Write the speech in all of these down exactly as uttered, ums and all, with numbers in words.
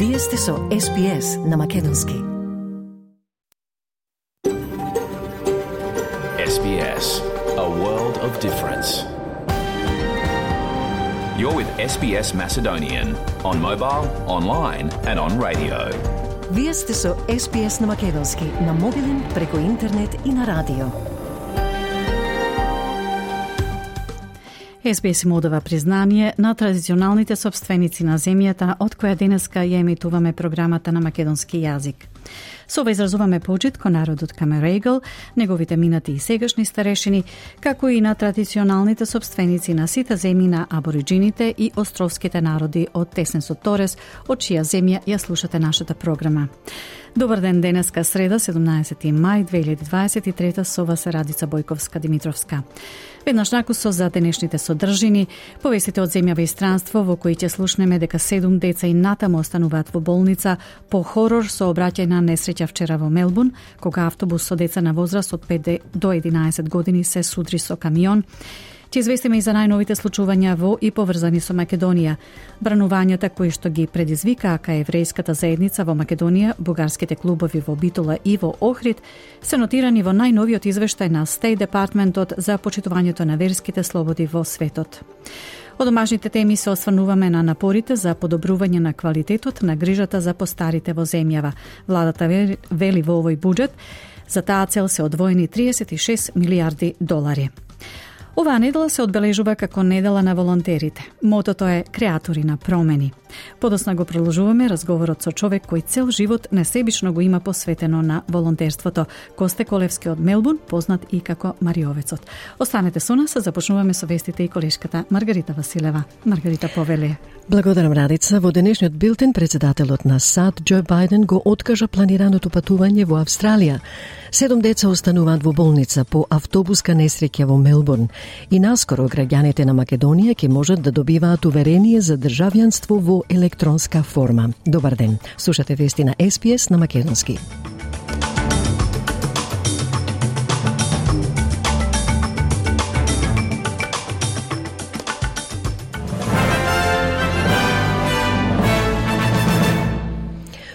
Вие сте со Ес Би Ес на македонски. Ес Би Ес, a world of difference. You're with Ес Би Ес Macedonian on mobile, online and on radio. Вие сте со Ес Би Ес на македонски, на мобилен, преку интернет и на радио. Ес Би Ес им одава признание на традиционалните собственици на земјата, од која денеска ја емитуваме програмата на македонски јазик. Со ова изразуваме почит кон народот Камерегл, неговите минати и сегашни старешини, како и на традиционалните собственици на сите земји на абориджините и островските народи од Теснесот Торес, од чија земја ја слушате нашата програма. Добар ден, денеска среда, седумнаесети мај две илјади дваесет и трета, со вас е Радица Бојковска-Димитровска. Веднаш накусо за денешните содржини, повестите од земјава и странство во кои ќе слушнеме дека седум деца и натаму остануваат во болница по хорор со обраќајна несреќа вчера во Мелбурн, кога автобус со деца на возраст од пет до единаесет години се судри со камион. Ќе известиме и за најновите случувања во и поврзани со Македонија. Бранувањата кои што ги предизвикаа кај еврејската заедница во Македонија, бугарските клубови во Битола и во Охрид, се нотирани во најновиот извештај на State Departmentот за почитувањето на верските слободи во светот. Од домашните теми се осврнуваме на напорите за подобрување на квалитетот на грижата за постарите во земјава. Владата вели во овој буџет за таа цел се одвоени триесет и шест милијарди долари. Оваа недела се одбележува како недела на волонтерите. Мотото е креатори на промени. Подосна го продолжуваме разговорот со човек кој цел живот несебично го има посветено на волонтерството. Косте Колевски од Мелбурн, познат и како Мариовецот. Останете со нас, започнуваме со вестите и колешката Маргарита Василева. Маргарита, повеле. Благодарам, Радица. Во денешниот билтен председателот на САД Џо Бајден го откажа планираното патување во Австралија. Седум деца остануваат во болница по автобуска несреќа во Мелбурн и наскоро граѓаните на Македонија ќе можат да добиваат уверение за државјанство во електронска форма. Добар ден. Слушате вести на Ес Би Ес на македонски.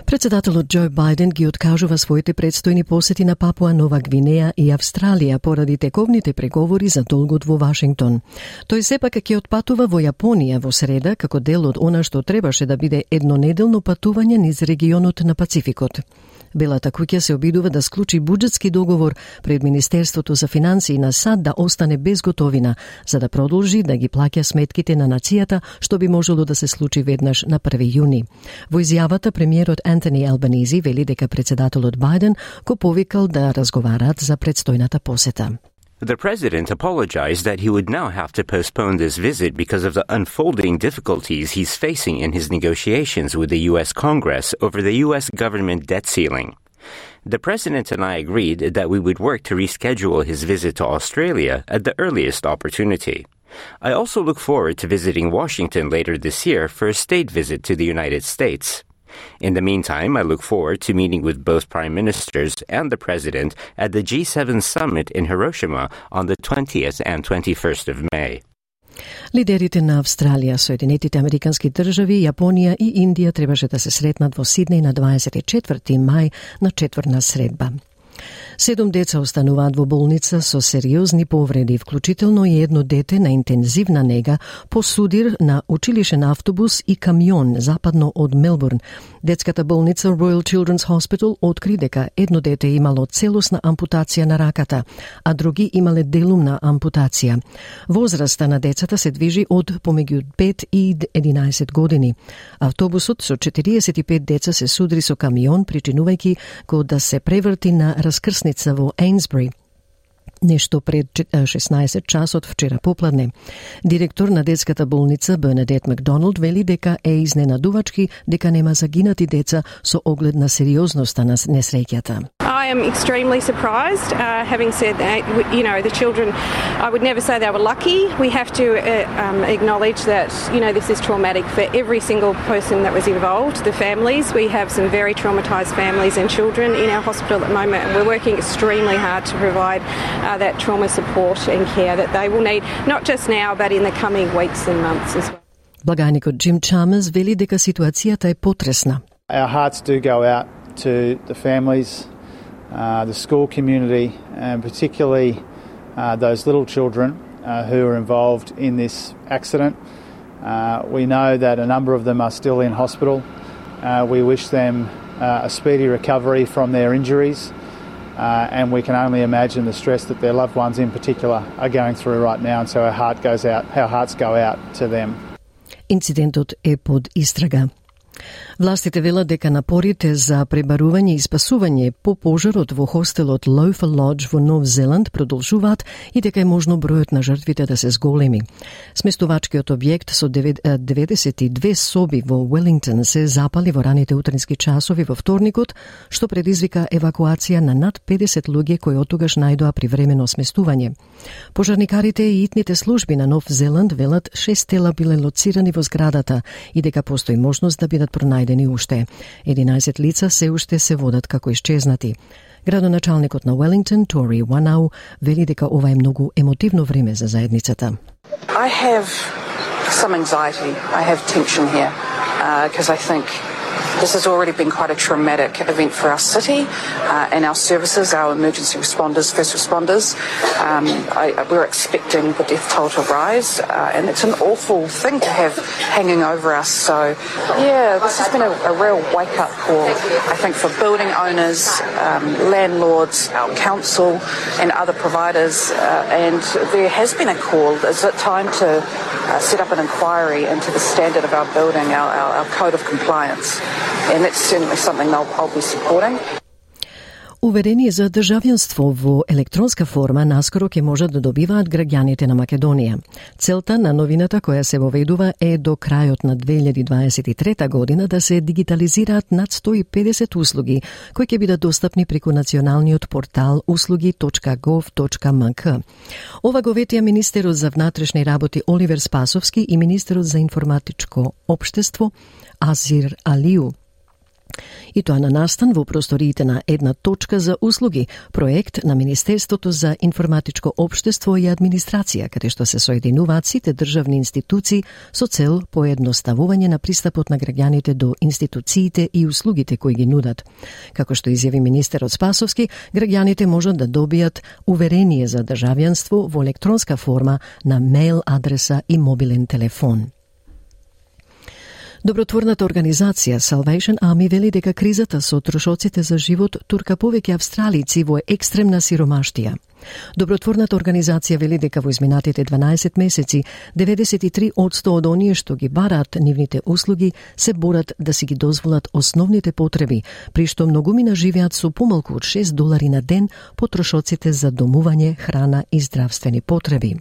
Председателот Џо Бајден ги откажува своите предстојни посети на Папуа Нова Гвинеја и Австралија поради тековните преговори за долгот во Вашингтон. Тој сепак ќе отпатува во Јапонија во среда како дел од она што требаше да биде еднонеделно патување низ регионот на Пацификот. Белата куќа се обидува да склучи буџетски договор пред Министерството за финансии на САД да остане без готовина, за да продолжи да ги плаќа сметките на нацијата, што би можело да се случи веднаш на први јуни. Во изјавата премиерот Антони Албанизи вели дека председателот Бајден го повикал да разговараат за предстојната посета. The president apologized that he would now have to postpone this visit because of the unfolding difficulties he's facing in his negotiations with the U S Congress over the U S government debt ceiling. The president and I agreed that we would work to reschedule his visit to Australia at the earliest opportunity. I also look forward to visiting Washington later this year for a state visit to the United States. In the meantime, I look forward to meeting with both prime ministers and the president at the G seven summit in Hiroshima on the twentieth and twenty-first of May. Лидерите на Австралија, Соединетите Американски држави, Јапонија и Индија требаше да се сретнат во Сиднеј на дваесет и четврти мај на четвртна средба. Седум деца остануваат во болница со сериозни повреди, вклучително и едно дете на интензивна нега по судир на училишен автобус и камион западно од Мелбурн. Детската болница Royal Children's Hospital откри дека едно дете имало целосна ампутација на раката, а други имале делумна ампутација. Возраста на децата се движи од помеѓу пет и единаесет години. Автобусот со четириесет и пет деца се судри со камион, причинувајќи го да се преврти на раскрсница во Ейнсбри, нешто пред шеснаесет часот вчера попладне. Директор на детската болница Бернадет Макдоналд вели дека е изненадувачки дека нема загинати деца со оглед на сериозноста на несреќата. I am extremely surprised. Uh, having said that, you know, the children, I would never say they were lucky. We have to uh, um, acknowledge that, you know, this is traumatic for every single person that was involved, the families. We have some very traumatised families and children in our hospital at the moment, and we're working extremely hard to provide uh, that trauma support and care that they will need, not just now, but in the coming weeks and months as well. Благаникот Джим Чамерс вели дека ситуацијата е потресна. Our hearts do go out to the families, uh, the school community, and particularly uh, those little children uh, who are involved in this accident. Uh, we know that a number of them are still in hospital. Uh, we wish them uh, a speedy recovery from their injuries, uh, and we can only imagine the stress that their loved ones in particular are going through right now, and so our heart goes out, our hearts go out to them. Инцидентот е под истрага. Властите велат дека напорите за пребарување и спасување по пожарот во хостелот Loafer Lodge во Нов Зеланд продолжуваат и дека е можно бројот на жртвите да се зголеми. Сместувачкиот објект со деветдесет и две соби во Велингтон се запали во раните утрински часови во вторникот, што предизвика евакуација на над педесет луѓе кои оттогаш најдоа привремено сместување. Пожарникарите и итните служби на Нов Зеланд велат шест тела биле лоцирани во зградата и дека постои можност да бидат пронајдени уште. единаесет лица се уште се водат како исчезнати. Градоначалникот на Велингтон, Тори Ванау, вели дека ова е многу емотивно време за заедницата. I have some anxiety. I have tension here because uh, I think this has already been quite a traumatic event for our city uh, and our services, our emergency responders, first responders. Um, I, we're expecting the death toll to rise, uh, and it's an awful thing to have hanging over us. So, yeah, this has been a, a real wake-up call, I think, for building owners, um, landlords, our council, and other providers. Uh, and there has been a call. Is it time to uh, set up an inquiry into the standard of our building, our, our, our code of compliance? And that's certainly something I'll, I'll be supporting. Уверение за државјанство во електронска форма наскоро ќе можат да добиваат граѓаните на Македонија. Целта на новината која се воведува е до крајот на две илјади дваесет и трета година да се дигитализираат над сто и педесет услуги кои ќе бидат достапни преку националниот портал услуги точка гов точка ем ка. Ова го ветија министерот за внатрешни работи Оливер Спасовски и министерот за информатичко општество Азир Алиу. И тоа на настан во просториите на една точка за услуги, проект на Министерството за информатичко општество и администрација, каде што се соединуваат сите државни институции со цел поедноставување на пристапот на граѓаните до институциите и услугите кои ги нудат. Како што изјави министерот Спасовски, граѓаните можат да добијат уверение за државјанство во електронска форма на мејл адреса и мобилен телефон. Добротворната организација Salvation Army вели дека кризата со трошоците за живот турка повеќе австралици во екстремна сиромаштија. Добротворната организација вели дека во изминатите дванаесет месеци деветдесет и три одсто од оние што ги бараат нивните услуги се борат да си ги дозволат основните потреби, при што многумина живеат со помалку од шест долари на ден по трошоците за домување, храна и здравствени потреби.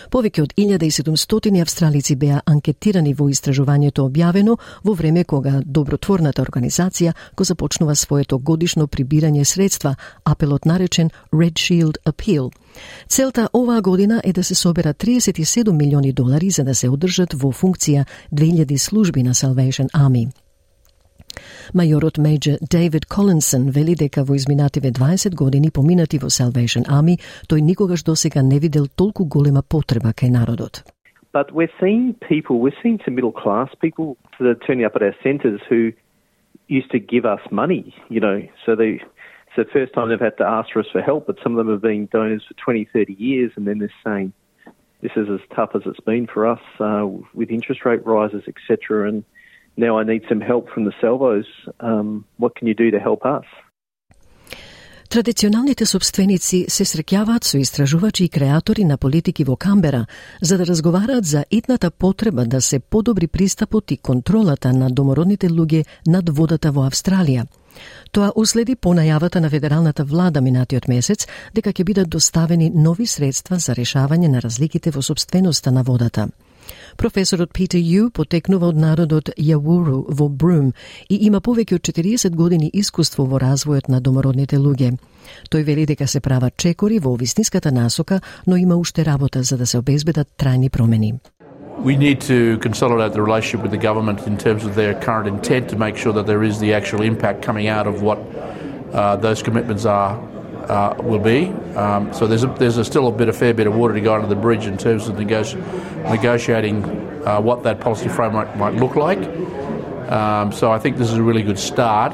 Повеќе од илјада и седумстотини австралици беа анкетирани во истражувањето објавено во време кога добротворната организација го започнува своето годишно прибирање средства, апелот наречен Red Shield Appeal. Целта оваа година е да се соберат триесет и седум милиони долари за да се одржат во функција две илјади служби на Salvation Army. Мајорот Мејор Дейвид Колинсон вели дека во изминативе дваесет години поминати во Salvation Army, тој никогаш досега не видел толку голема потреба кај народот. But we're seeing people, we're seeing some middle class people that are turning up at our centres who used to give us money, you know, so they, it's the first time they've had to ask for us for help, but some of them have been donors for twenty, thirty years, and then they're saying, this is as tough as it's been for us uh, with interest rate rises, et cetera, and now I need some help from the Salvos. Um, what can you do to help us? Традиционалните собственици се среќаваат со истражувачи и креатори на политики во Камбера за да разговараат за итната потреба да се подобри пристапот и контролата на домородните луѓе над водата во Австралија. Тоа уследи по најавата на федералната влада минатиот месец дека ќе бидат доставени нови средства за решавање на разликите во собственоста на водата. Професорот Питер Ю потекнува од народот Јавуру во Брум и има повеќе од четириесет години искуство во развојот на домородните луѓе. Тој вели дека се прават чекори во вистинската насока, но има уште работа за да се обезбедат трајни промени. We need to consolidate the relationship with the government in terms of their current intent to make sure that there is the actual impact coming out of what uh, those commitments are. Uh, will be. Um, so there's a, there's a still a bit, a fair bit of water to go under the bridge in terms of negoti- negotiating uh, what that policy framework might look like. Um, so I think this is a really good start.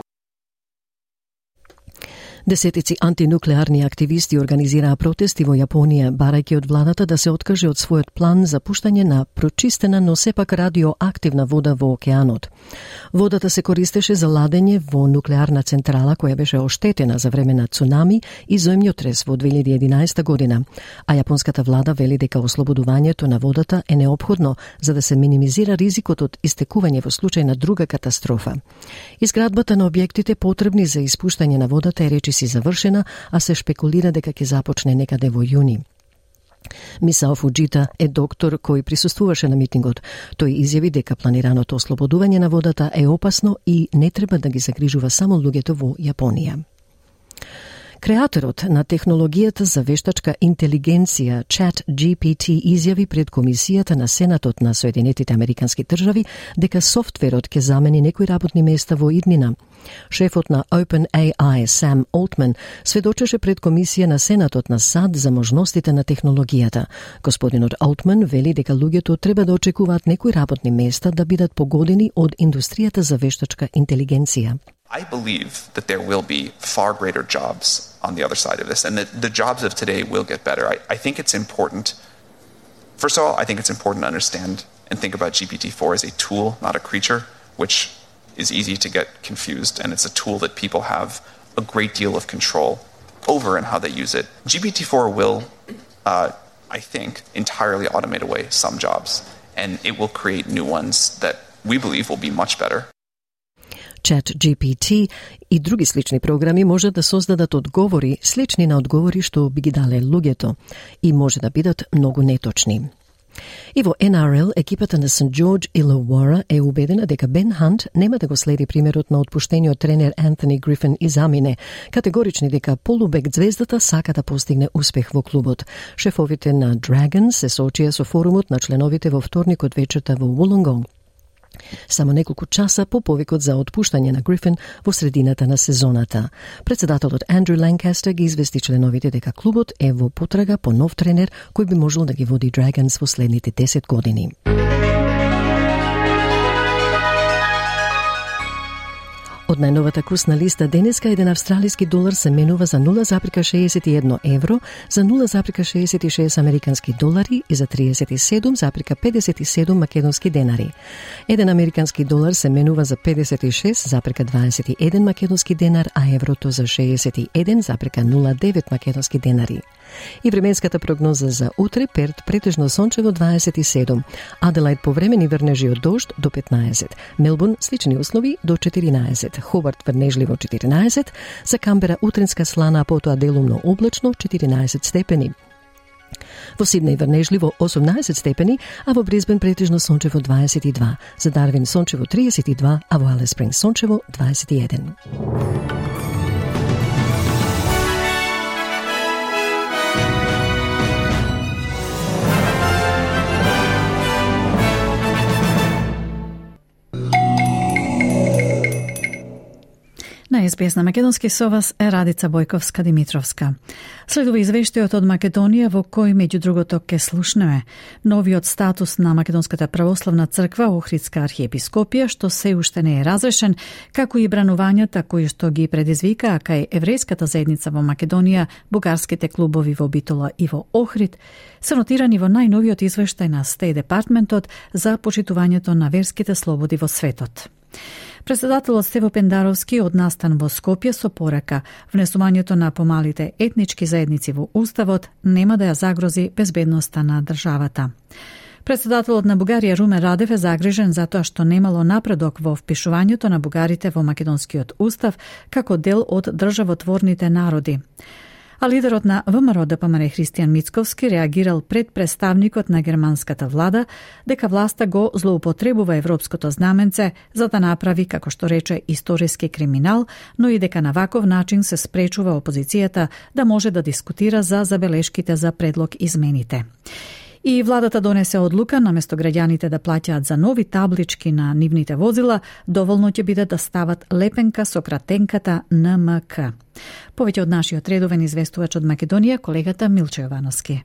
Десетици антинуклеарни активисти организираа протести во Јапонија, барајќи од владата да се откаже од својот план за пуштање на прочистена, но сепак радиоактивна вода во океанот. Водата се користеше за ладење во нуклеарна централа која беше оштетена за време на цунами и земјотрес во две илјади и единаесета година, а јапонската влада вели дека ослободувањето на водата е неопходно за да се минимизира ризикот од истекување во случај на друга катастрофа. Изградбата на објектите потребни за испуштање на водата е речи си завршена, а се шпекулира дека ќе започне некаде во јуни. Мисао Фуджита е доктор кој присуствуваше на митингот. Тој изјави дека планираното ослободување на водата е опасно и не треба да ги загрижува само луѓето во Јапонија. Креаторот на технологијата за вештачка интелигенција Чат Джи Пи Ти изјави пред Комисијата на Сенатот на Соединетите Американски држави дека софтверот ќе замени некои работни места во иднина. Шефот на OpenAI Сам Олтман сведочеше пред Комисија на Сенатот на САД за можностите на технологијата. Господинот Олтман вели дека луѓето треба да очекуваат некои работни места да бидат погодени од индустријата за вештачка интелигенција. I believe that there will be far greater jobs on the other side of this, and that the jobs of today will get better. I, I think it's important, first of all, I think it's important to understand and think about G P T four as a tool, not a creature, which is easy to get confused, and it's a tool that people have a great deal of control over in how they use it. G P T four will, uh, I think, entirely automate away some jobs, and it will create new ones that we believe will be much better. Чат Джи Пи Ти и други слични програми може да создадат одговори слични на одговори што би ги дале луѓето и може да бидат многу неточни. И во Ен Ар Ел, екипата на Сент Џорџ Илауара е убедена дека Бен Хант нема да го следи примерот на отпуштениот тренер Антони Грифин и замине, категорични дека полубек звездата сака да постигне успех во клубот. Шефовите на Dragons се соочија со форумот на членовите во вторникот вечерта во Вулонгонг, само неколку часа по повикот за отпуштање на Грифин во средината на сезоната. Председателот Андрю Ланкастер ги извести членовите дека клубот е во потрага по нов тренер кој би можел да ги води Dragons во следните десет години. Од најновата курсна листа денеска еден австралиски долар се менува за нула запирка шеесет и едно евро, за нула запирка шеесет и шест американски долари и за триесет и седум запирка педесет и седум македонски денари. Еден американски долар се менува за педесет и шест запирка дваесет и еден македонски денар, а еврото за шеесет и еден запирка нула девет македонски денари. И временската прогноза за утре: Перт претежно сончево дваесет и седум, Аделаид повремени врнежи од дожд до петнаесет, Мелбурн слични услови до четиринаесет, Хобарт врнежливо четиринаесет, за Камбера утринска слана, а потоа делумно облачно четиринаесет степени. Во Сиднеј врнежливо осумнаесет степени, а во Брисбен претежно сончево дваесет и два, за Дарвин сончево триесет и два, а во Алис Спрингс сончево дваесет и еден. На Ес Би Ес на македонски со вас е Радица Бојковска-Димитровска. Следува извештајот од Македонија во кој меѓу другото ке слушнеме новиот статус на Македонската православна црква Охридска архиепископија, што се уште не е разрешен, како и бранувањата кои што ги предизвикаа кај еврејската заедница во Македонија, бугарските клубови во Битола и во Охрид, се нотирани во најновиот извештај на Стејт Департментот за почитувањето на верските слободи во светот. Председателот Стево Пендаровски од настан во Скопје со порака внесувањето на помалите етнички заедници во Уставот нема да ја загрози безбедноста на државата. Председателот на Бугарија Румен Радев е загрижен затоа што немало напредок во впишувањето на бугарите во македонскиот устав како дел од државотворните народи. А лидерот на Вэ Ем Ар О Д П М Р Христијан Мицковски реагирал пред представникот на германската влада дека власта го злоупотребува европското знаменце за да направи, како што рече, историски криминал, но и дека на ваков начин се спречува опозицијата да може да дискутира за забелешките за предлог измените. И владата донесе одлука, наместо граѓаните да плаќаат за нови таблички на нивните возила, доволно ќе биде да стават лепенка со кратенката Н М К. Повеќе од нашиот редовен известувач од Македонија, колегата Милчо Јовановски.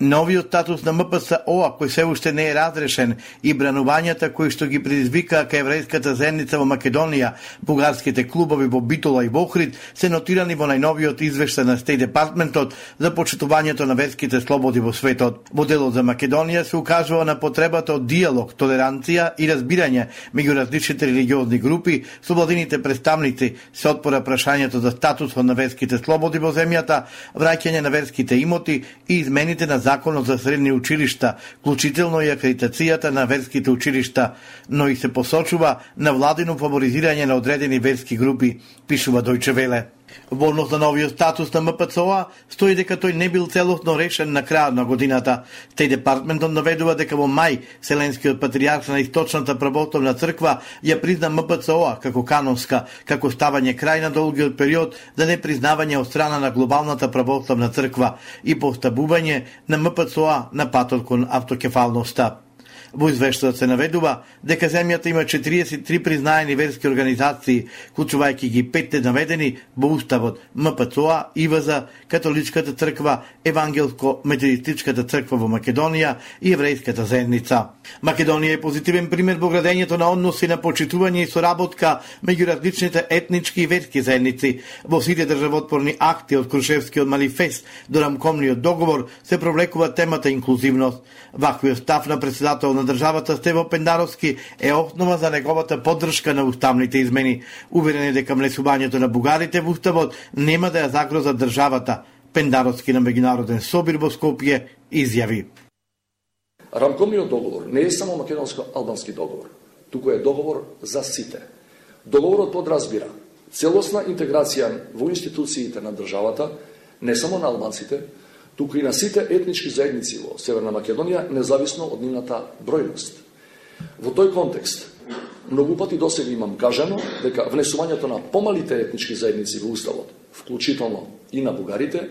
Новиот статус на М П С О, кој се уште не е разрешен, и бранувањата кои што ги предизвикаа кај еврејската заедница во Македонија, бугарските клубови во Битола и во Охрид, се нотирани во најновиот извештај на Стејт Департментот за почитувањето на верските слободи во светот. Во делот за Македонија се укажува на потребата од диалог, толеранција и разбирање меѓу различните религиозни групи. Со владините представници се отпора прашањето за статусот на верските слободи во земјата, враќање на верските имоти и измените на законот за средни училишта, вклучително и акредитацијата на верските училишта, но и се посочува на владино фаворизирање на одредени верски групи, пишува Дојче Веле. Во однос на новиот статус на М П Ц О стои дека тој не бил целосно решен на крајот на годината. Стејт Департментот наведува дека во мај Вселенскиот патријарх на Источната православна црква ја призна М П Ц О како канонска, како ставање крај на долгиот период за непризнавање од страна на глобалната православна црква и поставување на М П Ц О на патот кон автокефалноста. Во извештајот се наведува дека земјата има четириесет и три признаени верски организации, вклучувајќи ги петте наведени во уставот: М П Ц О, И В З, Католичката црква, Евангелско-методистичката црква во Македонија и еврејската заедница. Македонија е позитивен пример во градењето на односи на почитување и соработка меѓу различните етнички и верски заедници. Во сите државотворни акти од Крушевскиот манифест до рамковниот договор се провлекува темата инклузивност. Ваквиот став на председател на државата Стево Пендаровски е основа за неговата поддршка на уставните измени. Уверен е дека внесувањето на бугарите во уставот нема да ја загрозат државата. Пендаровски на меѓународен собир во Скопје изјави: Рамковниот договор не е само македонско-албански договор, туку е договор за сите. Договорот подразбира целосна интеграција во институциите на државата, не само на албанците, туку и на сите етнички заедници во Северна Македонија, независно од нивната бројност. Во тој контекст, многу пати досега имам кажано дека внесувањето на помалите етнички заедници во уставот, вклучително и на бугарите,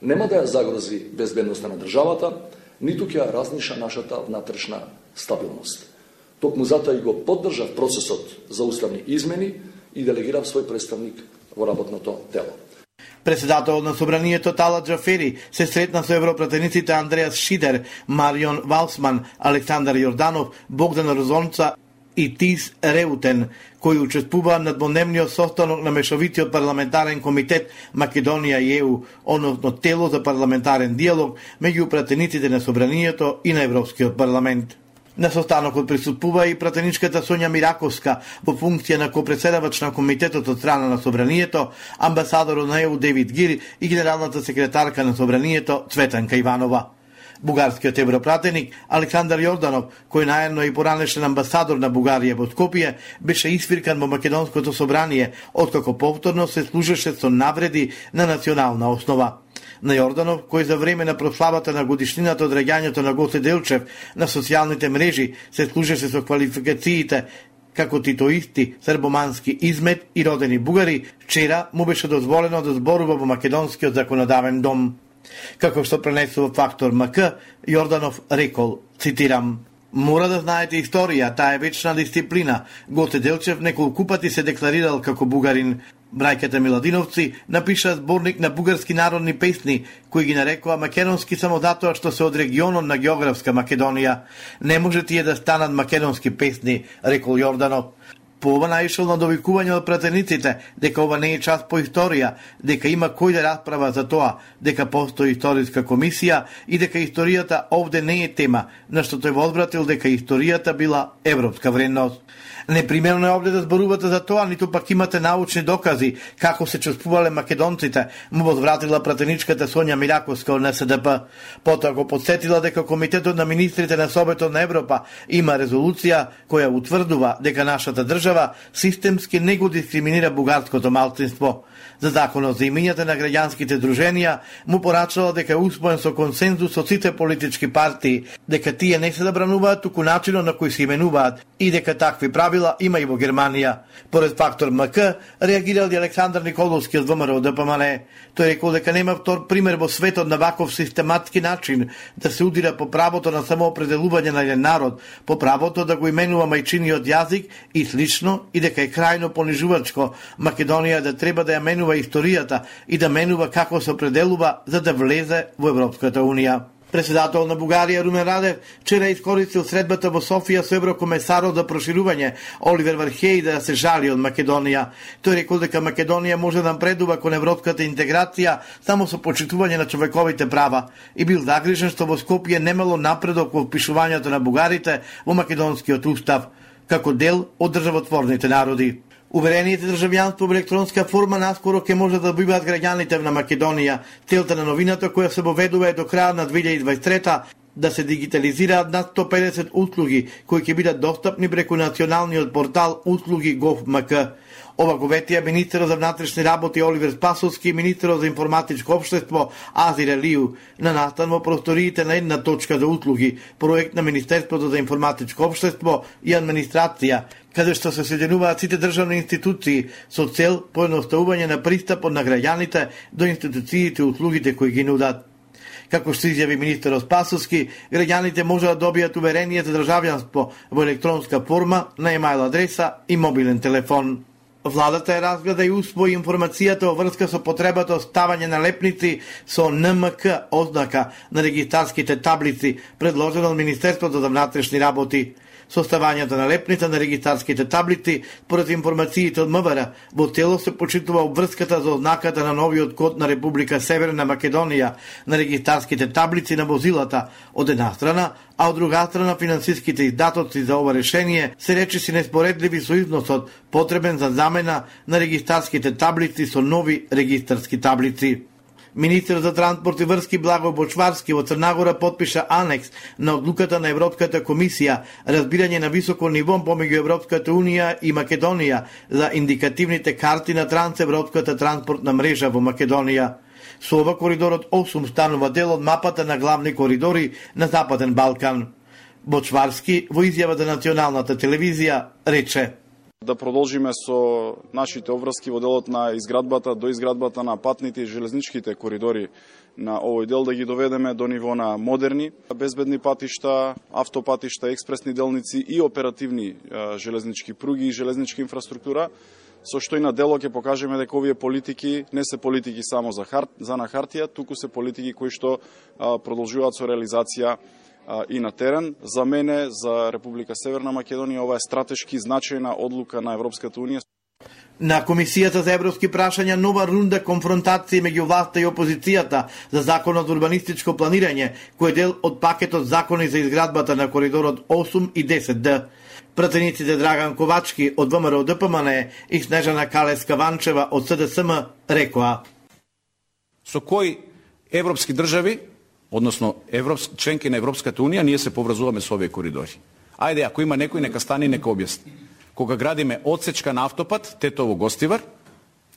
нема да ја загрози безбедноста на државата, ниту ќе ја разниша нашата внатрешна стабилност. Токму затоа и го поддржав процесот за уставни измени и делегирав свој представник во работното тело. Председателот на собранието Талат Джафери се сретна со европратениците Андреас Шидер, Марион Валсман, Александар Јорданов, Богдан Розонца и Тис Реутен, кои учествуваа на дводневниот состанок на Мешовитиот парламентарен комитет Македонија и Е У, односно тело за парламентарен диалог меѓу пратениците на собранието и на Европскиот парламент. На состанокот присуствува и пратеничката Сонја Мираковска во функција на копредседавач на комитетот од страна на собранието, амбасадорот на Е У Девид Гир и генералната секретарка на собранието Цветанка Иванова. Бугарскиот европратеник Александар Јорданов, кој наедно и поранешен амбасадор на Бугарија во Скопје, беше исфиркан во Македонското собрание, откако повторно се служеше со навреди на национална основа. На Јорданов, кој за време на прославата на годишнината од реѓањето на Гоце Делчев на социјалните мрежи се служеше со квалификациите како титоисти, србомански измет и родени бугари, вчера му беше дозволено да зборува во македонскиот законодавен дом. Како што пренесува Фактор М К, Јорданов рекол, цитирам: "Мора да знаете историја, таа е вечна дисциплина. Гоце Делчев неколку пати се декларирал како бугарин. Брајката Миладиновци напиша зборник на бугарски народни песни, кои ги нарекува македонски само затоа што се од регионот на географска Македонија. Не може тие да станат македонски песни", рекол Јорданов. По ова наишол на довикување од пратениците дека ова не е част по историја, дека има кој да расправа за тоа, дека постои историска комисија и дека историјата овде не е тема, на што тој возвратил дека историјата била европска вредност. Непримерно е овде да зборувате за тоа, ниту пак имате научни докази како се чувствувале македонците, му возвратила пратеничката Сонја Мираковска од Н С Д П. Потоа го подсетила дека Комитетот на министрите на Советот на Европа има резолуција која утврдува дека нашата држава системски не го дискриминира бугарското малцинство. За законот за имињата на граѓанските друженија му порачала дека е успоен со консензус од сите политички партии, дека тие не се забрануваат, туку начинот на кој се именуваат и дека такви правила има и во Германија. Поред Фактор М К реагирал и Александар Николовски од В М Р Д П М Л. Тој рекол дека нема втор пример во светот на ваков систематски начин да се удира по правото на самоопределување на еден народ, по правото да го именува мајчиниот јазик и слично, и дека е крајно понижувачко Македонија да треба да ја менува историјата и да менува како се определува за да влезе во Европската Унија. Председател на Бугарија Румен Радев вчера искористил средбата во Софија со еврокомесарот за проширување Оливер Вархеј да се жали од Македонија. Тој рекол дека Македонија може да напредува кон европската интеграција само со почитување на човековите права и бил загрижен што во Скопје немало напредок во впишувањето на бугарите во македонскиот устав како дел од државотворните народи. Уверенијите државјанство во електронска форма наскоро ќе може да добиваат граѓаните на Македонија. Целта на новината која се воведува е до крај на две илјади и дваесет и трета да се дигитализираат над сто педесет услуги кои ќе бидат достапни преку националниот портал услуги gov.mk. Ова го ветија министерот за внатрешни работи Оливер Спасовски и министерот за информатичко општество Азир Елију на настан во просториите на една точка за услуги, проект на Министерството за информатичко општество и администрација, каде што се соединуваат сите државни институции со цел поедноставување на пристапот на граѓаните до институциите и услугите кои ги нудат. Како што изјави министерот Спасовски, граѓаните може да добијат уверение за државјанство во електронска форма на имејл адреса и мобилен телефон. Владата е разгледа и усвои информацијата во врска со потребата од ставање на лепници со ен ем ка ознака на регистарските таблици, предложена од Министерството за внатрешни работи. Составањето на лепница на регистарските таблици, според информациите од МВР, во цело се почитува обврската за ознаката на новиот код на Република Северна Македонија на регистарските таблици на возилата од една страна, а од друга страна финансиските издатоци за ова решение се речиси неспоредливи со износот потребен за замена на регистарските таблици со нови регистарски таблици. Министерот за транспорт и врски Благој Бочварски во Црнагора потпиша анекс на одлуката на Европската комисија разбирање на високо ниво помеѓу Европската унија и Македонија за индикативните карти на трансевропската транспортна мрежа во Македонија. Со ова коридорот осум станува дел од мапата на главни коридори на Западен Балкан. Бочварски во изјава за националната телевизија рече: да продолжиме со нашите обврски во делот на изградбата до изградбата на патните и железничките коридори на овој дел, да ги доведеме до ниво на модерни, безбедни патишта, автопатишта, експресни делници и оперативни железнички пруги и железничка инфраструктура, со што и на дело ќе покажеме дека овие политики не се политики само за, хар... за на хартија, туку се политики кои што продолжуваат со реализација и на терен. За мене, за Република Северна Македонија, ова е стратешки значајна одлука на Европската унија. На Комисијата за европски прашања нова рунда конфронтација меѓу власта и опозицијата за законот за урбанистичко планирање, кој е дел од пакетот закони за изградбата на коридорот осум и десет Д. Пратениците Драган Ковачки од ВМРО Д П М Н и Снежана Калеска-Ванчева од С Д С М рекоа: со кои европски држави, односно европски, членки на Европската унија, ние се поврзуваме со овие коридори. Ајде, ако има некој, нека стане и нека објасни. Кога градиме одсечка на автопат, Тетово-Гостивар,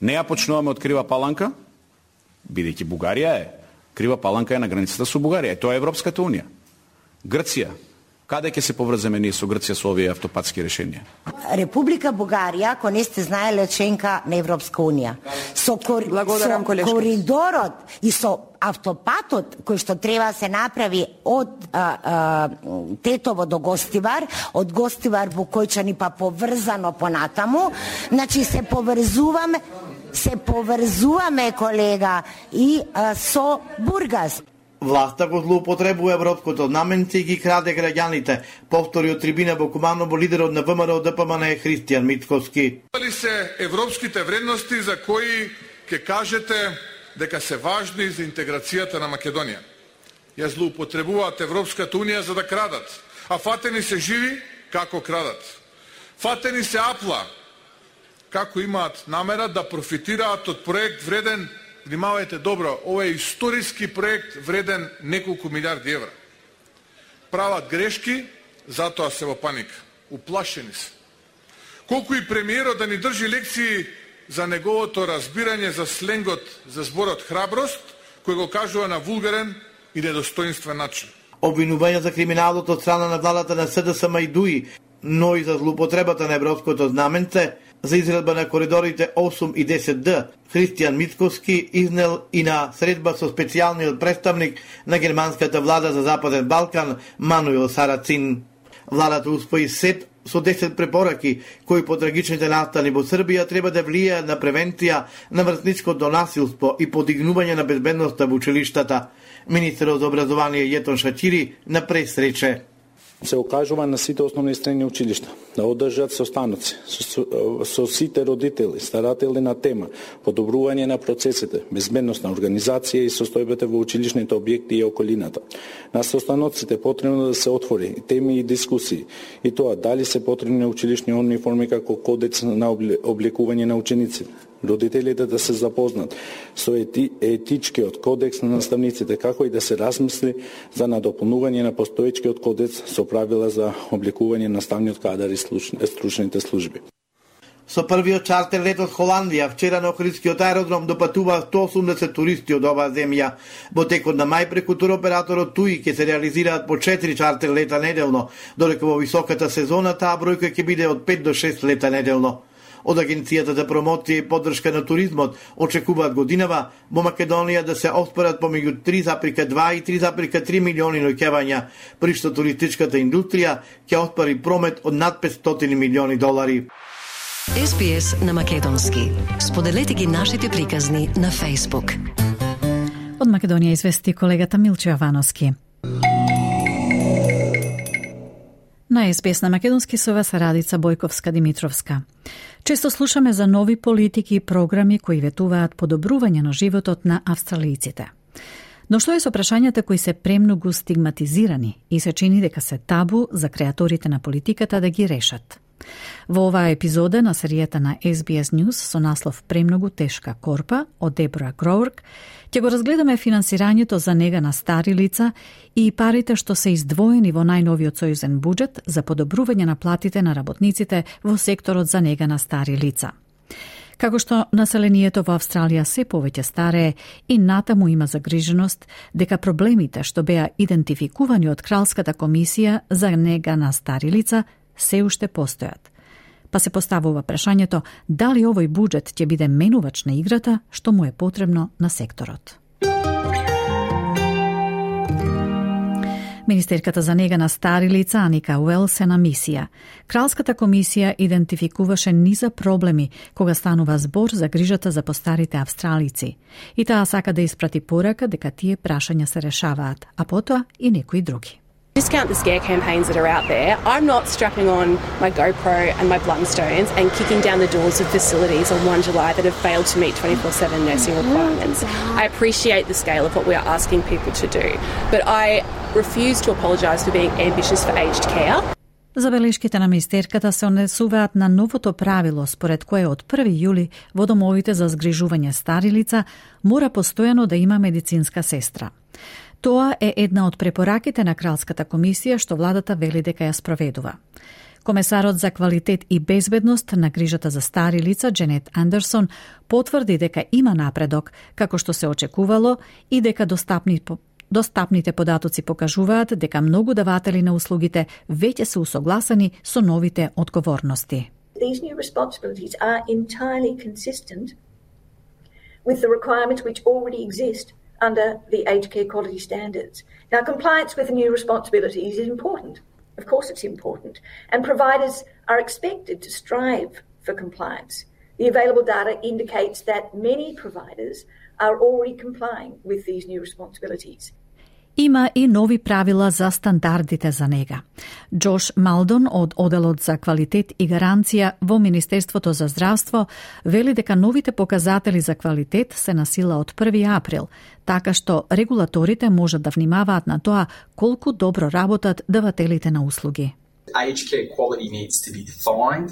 не ја почнуваме од Крива Паланка, бидејќи Бугарија е, Крива Паланка е на границата со Бугарија, тоа е Европската унија. Грција, каде ќе се поврземе ние со Грција со овие автопатски решенија? Република Бугарија, ако не сте знаеле, членка на Европска унија. Со, кор... со коридорот и со автопатот кој што треба да се направи од а, а, Тетово до Гостивар, од Гостивар Букојчани па поврзано понатаму, значи се поврзуваме, се поврзуваме, колега, и а, со Бургас. Власта го злоупотребува европското знаменце и ги краде граѓаните, повтори од трибина во Куманово лидерот на ВМРО Д П М Н Христијан Мицковски. Дали се европските вредности за кои ќе кажете дека се важни за интеграцијата на Македонија? Ја злоупотребуваат Европската унија за да крадат, а фатени се живи како крадат. Фатени се апла како имаат намера да профитираат од проект вреден, внимавајте добро, ова е историски проект вреден неколку милиарди евра. Прават грешки, затоа се во паника. Уплашени се. Колку и премиерот да ни држи лекции за неговото разбирање за сленгот, за зборот храброст, кој го кажува на вулгарен и недостоинствен начин. Обвинување за криминалот од страна на владата на С Д С М и ДУИ, но и за злоупотребата на европското знаменце за изградба на коридорите осум и десет Д, Христијан Мицковски изнел и на средба со специјалниот представник на германската влада за Западен Балкан Мануел Сарацин. Владата успои сет со десет препораки кои по трагичните настани во Србија треба да влијаат на превенција на врсничкото насилство и подигнување на безбедноста во училиштата. Министерот за образование Јетон Шачири на пресрече. Се окажува на сите основни и средни училишта да одржат состаноци со, со сите родители, старатели на тема подобрување на процесите, безбедност на организација и состојбата во училишните објекти и околината. На состаноците потребно да се отвори теми и дискусии, и тоа дали се потребни училишни униформи како кодекс на облекување на учениците, родителите да се запознат со ети, етичкиот кодекс на наставниците, како и да се размисли за надополнување на постоечкиот кодекс со правила за облекување на наставниот кадар и стручните служби. Со првиот чартер лет од Холандија, вчера на Охридскиот аеродром допатува сто осумдесет туристи од оваа земја. Во текот на мај преку туроператорот ТУИ ќе се реализираат по четири чартер лета неделно, додека во високата сезона таа бројка ќе биде од пет до шест лета неделно. Од Агенцијата за промоција и поддршка на туризмот очекуваат годинава во Македонија да се оспорат помеѓу три zarez два и три zarez три милиони ноќевања, при што туристичката индустрија ќе оспори промет од над петстотини милиони долари. Ес Би Ес на македонски. Споделете ги нашите приказни на Facebook. Од Македонија извести колегата Милчо Јовановски. На Ес Би Ес на македонски со вас Радица Бојковска-Димитровска. Често слушаме за нови политики и програми кои ветуваат подобрување на животот на австралијците. Но што е со прашањата кои се премногу стигматизирани и се чини дека се табу за креаторите на политиката да ги решат? Во оваа епизода на серијата на Ес Би Ес News со наслов Премногу тешка корпа од Дебора Гроурк ќе го разгледаме финансирањето за нега на стари лица и парите што се издвоени во најновиот сојузен буџет за подобрување на платите на работниците во секторот за нега на стари лица. Како што населението во Австралија се повеќе старее и натаму има загриженост дека проблемите што беа идентификувани од Кралската комисија за нега на стари лица се уште постојат. Па се поставува прашањето дали овој буџет ќе биде менувач на играта што му е потребно на секторот. Министерката за нега на стари лица Аника Уелс е на мисија. Кралската комисија идентификуваше низа проблеми кога станува збор за грижата за постарите австралици. И таа сака да испрати порака дека тие прашања се решаваат, а потоа и некои други. Discount the scare campaigns that are out there. I'm not strapping on my GoPro and my Blundstones and kicking down the doors of facilities on First of July that have failed to meet twenty-four seven nursing requirements. I appreciate the scale of what we are asking people to do, but I refuse to apologise for being ambitious for aged care. Забелешките на министерката се однесуваат на новото правило според кое од први јули во домовите за згрижување стари лица мора постојано да има медицинска сестра. Тоа е една од препораките на Кралската комисија што владата вели дека ја спроведува. Комесарот за квалитет и безбедност на грижата за стари лица Дженет Андерсон потврди дека има напредок, како што се очекувало, и дека достапни, достапните податоци покажуваат дека многу даватели на услугите веќе се усогласени со новите одговорности. These new responsibilities are entirely consistent with the requirements which already exist under the aged care quality standards. Now, compliance with the new responsibilities is important. Of course it's important. And providers are expected to strive for compliance. The available data indicates that many providers are already complying with these new responsibilities. Има и нови правила за стандардите за нега. Джош Малдон од Оделот за квалитет и гаранција во Министерството за здравство вели дека новите показатели за квалитет се на сила од први април, така што регулаторите можат да внимаваат на тоа колку добро работат давателите на услуги. Aged care quality needs to be defined,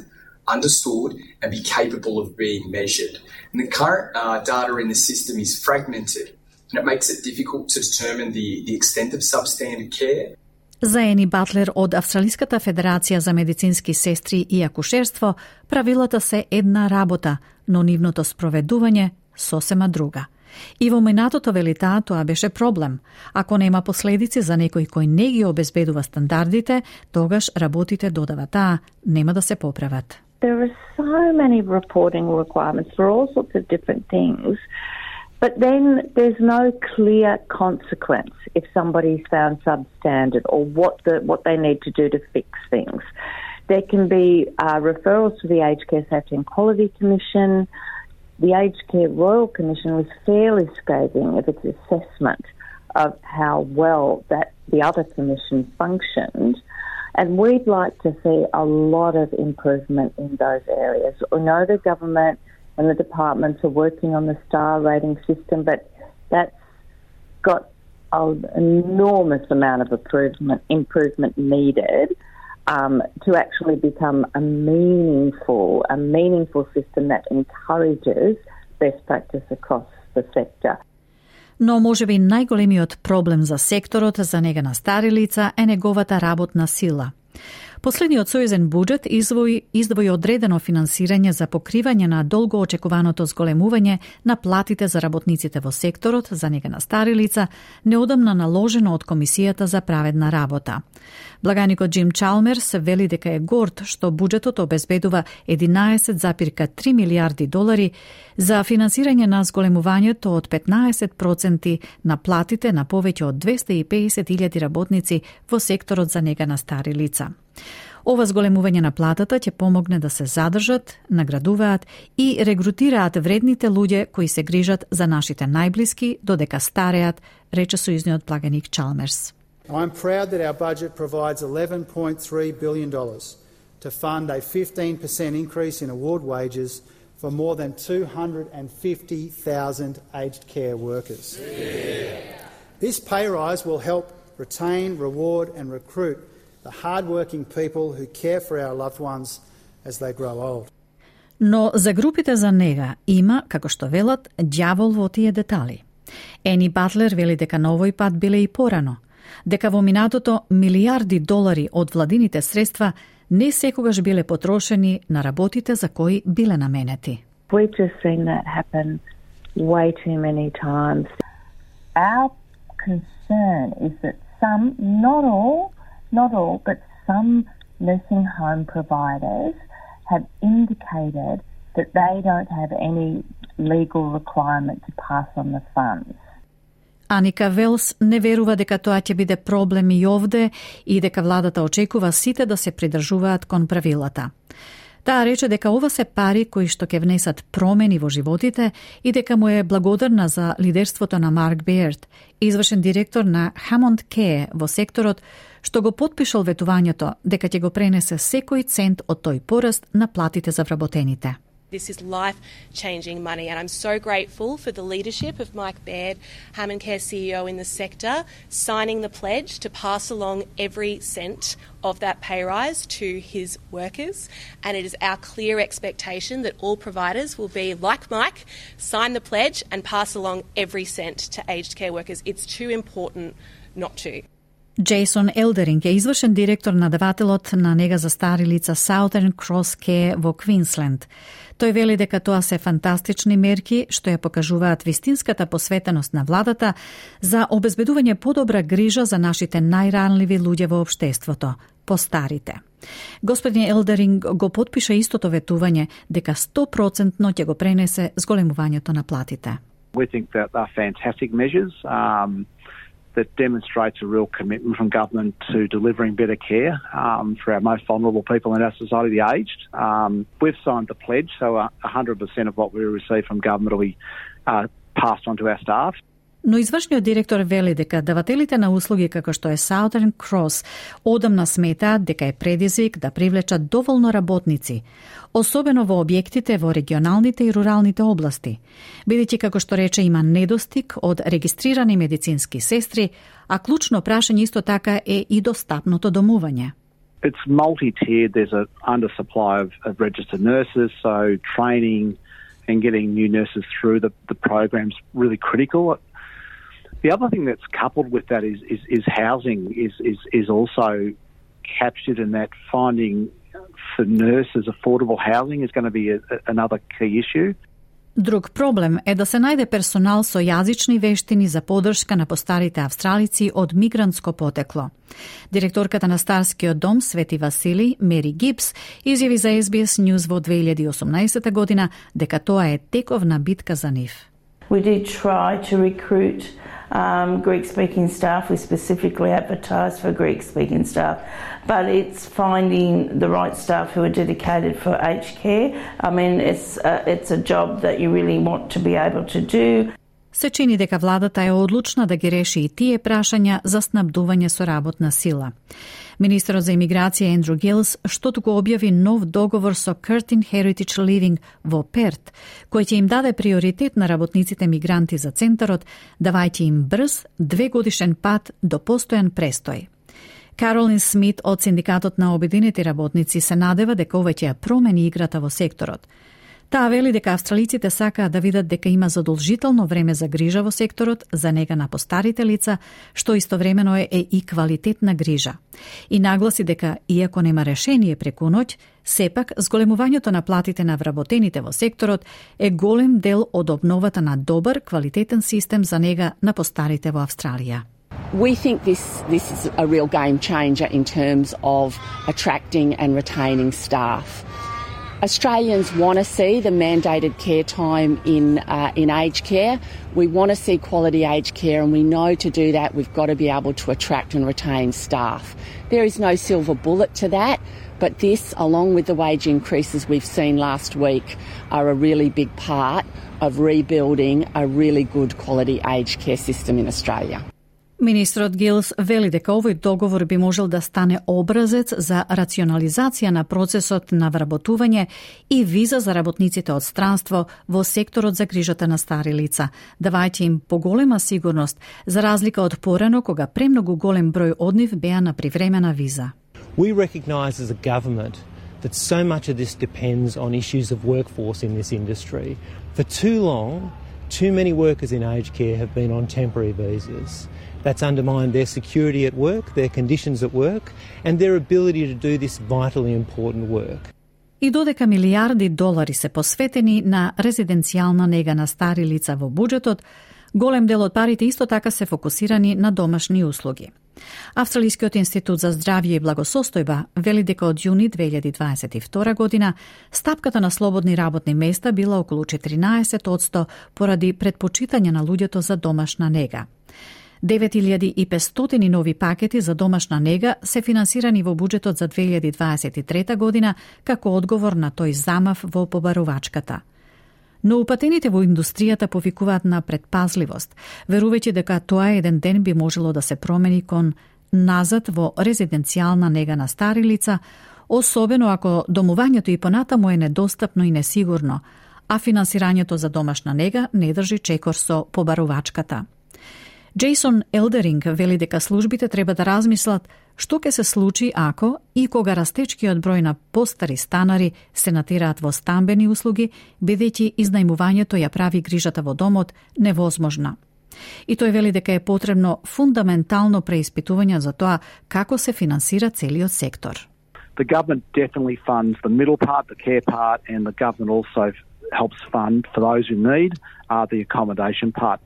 understood and be capable of being measured. And the current uh, data in the system is fragmented. And it makes it difficult to determine the, the extent of substandard care. За Ени Батлер од Австралиската федерација за медицински сестри и акушерство, правилата се една работа, но нивното спроведување сосема друга. И во минатото вели таа тоа беше проблем. Ако нема последици за некој кој не ги обезбедува стандардите, тогаш работите, додава таа, нема да се поправат. There are so many reporting requirements for all sorts of different things. But then there's no clear consequence if somebody's found substandard or what the what they need to do to fix things. There can be uh, referrals to the Aged Care Safety and Quality Commission. The Aged Care Royal Commission was fairly scathing of its assessment of how well that the other commission functioned. And we'd like to see a lot of improvement in those areas. We know the government and the departments are working on the star rating system, but that's got an enormous amount of improvement, improvement needed um, to actually become a meaningful, a meaningful system that encourages best practice across the sector. Но можеби најголемиот проблем за секторот за нега на стари лица е неговата работна сила. Последниот сојузен буџет издвои, издвои одредено финансирање за покривање на долго очекуваното зголемување на платите за работниците во секторот за нега на стари лица, неодамна наложено од Комисијата за праведна работа. Благаникот Джим Чалмерс вели дека е горд што буџетот обезбедува единаесет зарез три милијарди долари за финансирање на зголемувањето од петнаесет проценти на платите на повеќе од двесте и педесет илјади работници во секторот за нега на стари лица. Ова зголемување на платата ќе помогне да се задржат, наградуваат и регрутираат вредните луѓе кои се грижат за нашите најблиски додека стареат, рече сојузниот благаник Чалмерс. I'm proud that our budget provides eleven point three billion dollars to fund a fifteen percent increase in award wages for more than two hundred fifty thousand aged care workers. Yeah. This pay rise will help retain, reward and recruit the hard-working people who care for our loved ones as they grow old. Но за групите за нега има, како што велат, ѓавол во тие детали. Ени Батлер вели дека на овој пат биле и порано, дека во минатото милијарди долари од владините средства не секогаш биле потрошени на работите за кои биле наменети. We've just seen that happen way too many times. Our concern is that some, not all, not all, but some nursing home providers have indicated that they don't have any legal requirement to pass on the funds. Аника Велс не верува дека тоа ќе биде проблем и овде и дека владата очекува сите да се придржуваат кон правилата. Таа рече дека ова се пари кои што ќе внесат промени во животите и дека му е благодарна за лидерството на Марк Бејерд, извршен директор на Hammond Care во секторот, што го потпишал ветувањето дека ќе го пренесе секој цент од тој пораст на платите за вработените. This is life-changing money, and I'm so grateful for the leadership of Mike Baird, Hammond Care C E O in the sector, signing the pledge to pass along every cent of that pay rise to his workers. And it is our clear expectation that all providers will be like Mike, sign the pledge and pass along every cent to aged care workers. It's too important not to. Джейсон Елдеринг е извршен директор на давателот на нега за стари лица Southern Cross Care во Квинсленд. Тој вели дека тоа се фантастични мерки што ја покажуваат вистинската посветеност на владата за обезбедување подобра грижа за нашите најранливи луѓе во општеството, постарите. Господин Елдеринг го потпиша истото ветување дека сто проценти ќе го пренесе зголемувањето на платите. We think that they're fantastic measures. Um, that demonstrates a real commitment from government to delivering better care um, for our most vulnerable people in our society, the aged. Um, we've signed the pledge, so uh, one hundred percent of what we receive from government will be uh, passed on to our staff. Но извршниот директор вели дека давателите на услуги како што е Southern Cross одамна сметаат дека е предизвик да привлечат доволно работници, особено во објектите во регионалните и руралните области, бидејќи како што рече има недостиг од регистрирани медицински сестри, а клучно прашање исто така е и достапното домување. It's multi-tiered. There's an undersupply of, of registered nurses, so training and getting new nurses through the, the program's really critical. The other thing that's coupled with that is is, is housing is, is is also captured in that. Finding for nurses affordable housing is going to be a, a, another key issue. Друг проблем е да се најде персонал со јазични вештини за подршка на постарите австралици од мигрантско потекло. Директорката на Старскиот дом Свети Васили, Мери Гипс, изјави за Ес Би Ес News во две илјади и осумнаесета година дека тоа е тековна битка за нив. We did try to recruit um, Greek-speaking staff. We specifically advertised for Greek-speaking staff, but it's finding the right staff who are dedicated for aged care. I mean, it's a, it's a job that you really want to be able to do. Се чини дека владата е одлучна да ги реши и тие прашања за снабдување со работна сила. Министерот за имиграција Ендрю Гилс што туку објави нов договор со Curtin Heritage Living во Перт, кој ќе им даде приоритет на работниците мигранти за центарот, давајќи им брз, двегодишен пат до постојан престој. Каролин Смит од Синдикатот на обединети работници се надева дека ова ќе ја промени играта во секторот. Таа вели дека австралиците сакаат да видат дека има задолжително време за грижа во секторот, за нега на постарите лица, што истовремено е, е и квалитетна грижа. И нагласи дека, иако нема решение преку ноќ, сепак зголемувањето на платите на вработените во секторот е голем дел од обновата на добар, квалитетен систем за нега на постарите во Австралија. We think this, this is a real game changer in terms of attracting and retaining staff. Australians want to see the mandated care time in uh, in aged care. We want to see quality aged care, and we know to do that we've got to be able to attract and retain staff. There is no silver bullet to that, but this, along with the wage increases we've seen last week, are a really big part of rebuilding a really good quality aged care system in Australia. Министрот Гилс вели дека овој договор би можел да стане образец за рационализација на процесот на вработување и виза за работниците од странство во секторот за грижата на стари лица, давајќи им поголема сигурност, за разлика од порано кога премногу голем број од нив беа на привремена виза. We recognise as a government that so much of this depends on issues of workforce in this industry. For too long, too many workers in aged care have been on temporary visas. That's undermined their security at work, their conditions at work, and their ability to do this vitally important work. И додека милиарди долари се посветени на резиденцијална нега на стари лица во буџетот, голем дел од парите исто така се фокусирани на домашни услуги. Австралискиот институт за здравје и благосостојба вели дека од јуни две илјади дваесет и втора година стапката на слободни работни места била околу четиринаесет одсто поради предпочитање на луѓето за домашна нега. девет илјади и петстотини нови пакети за домашна нега се финансирани во буџетот за две илјади дваесет и трета година како одговор на тој замав во побарувачката. Но упатените во индустријата повикуваат на предпазливост, верувајќи дека тоа еден ден би можело да се промени кон назад во резиденцијална нега на стари лица, особено ако домувањето и понатаму е недостапно и несигурно, а финансирањето за домашна нега не држи чекор со побарувачката. Джейсон Елдеринг вели дека службите треба да размислат што ќе се случи ако и кога растечкиот број на постари станари се натераат во стамбени услуги, бидејќи изнајмувањето ја прави грижата во домот невозможна. И тој вели дека е потребно фундаментално преиспитување за тоа како се финансира целиот сектор. The government definitely funds the middle part, the care part, and the government also helps fund, for those who need, uh, the accommodation part.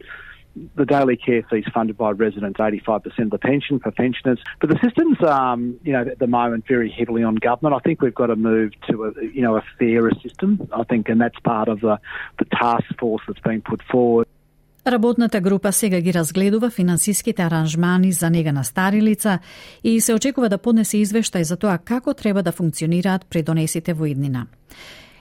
The daily care fees funded by residents, eighty-five percent of the pension for pensioners. But the system's, um, you know, at the moment very heavily on government. I think we've got to move to a, you know, a fairer system, I think, and that's part of the, the task force that's been put forward. Работната група сега ги разгледува финансиските аранжмани за нега на стари лица и се очекува да поднесе извештај за тоа како треба да функционираат придонесите во иднина.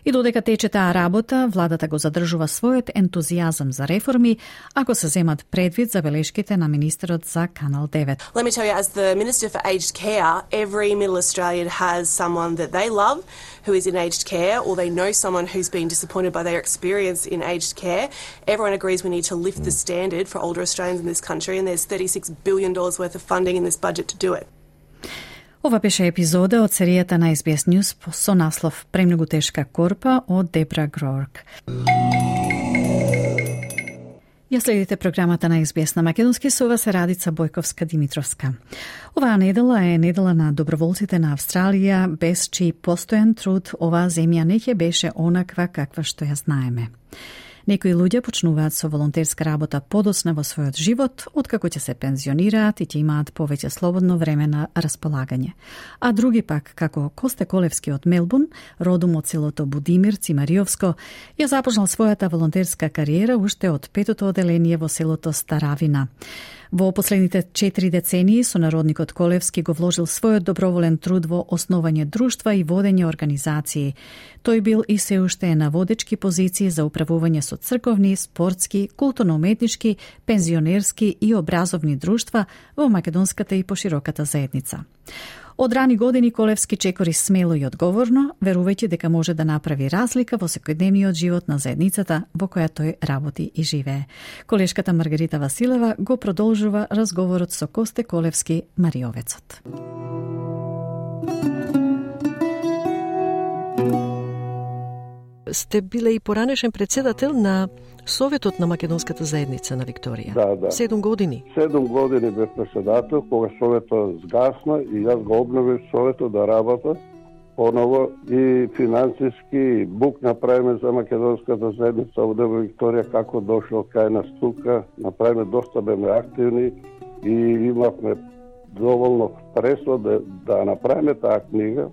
И додека тече таа работа, владата го задржува својот ентузијазам за реформи, ако се земат предвид забелешките на министерот за Канал девет. Let me tell you, as the Minister for Aged Care, every Middle Australian has someone that they love who is in aged care, or they know someone who's been disappointed by their experience in aged care. Everyone agrees we need to lift the standard for older Australians in this country, and there's thirty-six billion dollars worth of funding in this budget to do it. Ова беше епизода од серијата на Ес Би Ес News со наслов "Премногу тешка корпа" од Дебра Грорк. Ја следите програмата на Ес Би Ес на македонски, со вас е Радица Бојковска-Димитровска. Оваа недела е недела на доброволците на Австралија, без чиј постојан труд оваа земја не ќе беше онаква каква што ја знаеме. Некои луѓе почнуваат со волонтерска работа подоцна во својот живот, откако ќе се пензионираат и ќе имаат повеќе слободно време на располагање. А други пак, како Косте Колевски од Мелбурн, родом од селото Будимир, Цимариовско, ја започнал својата волонтерска кариера уште од петото оделение во селото Старавина. Во последните четири децении сонародникот Колевски го вложил својот доброволен труд во основање друштва и водење организации. Тој бил и се уште е на водечки позиции за управување со црковни, спортски, културно-уметнички, пензионерски и образовни друштва во македонската и пошироката заедница. Од рани години Колевски чекори смело и одговорно, верувајќи дека може да направи разлика во секојдневниот живот на заедницата во која тој работи и живее. Колешката Маргарита Василева го продолжува разговорот со Косте Колевски, Мариовецот. Сте биле и поранешен председател на Советот на македонската заедница на Викторија. Да, да. Седум години. Седум години бев председател, кога Советот сгасна и јас го обновив Советот да работа поново и финансиски бук направиме за македонската заедница овде во Викторија, како дошол кај нас тука, направиме доста беме активни и имавме доволно средства да, да направиме таа книга,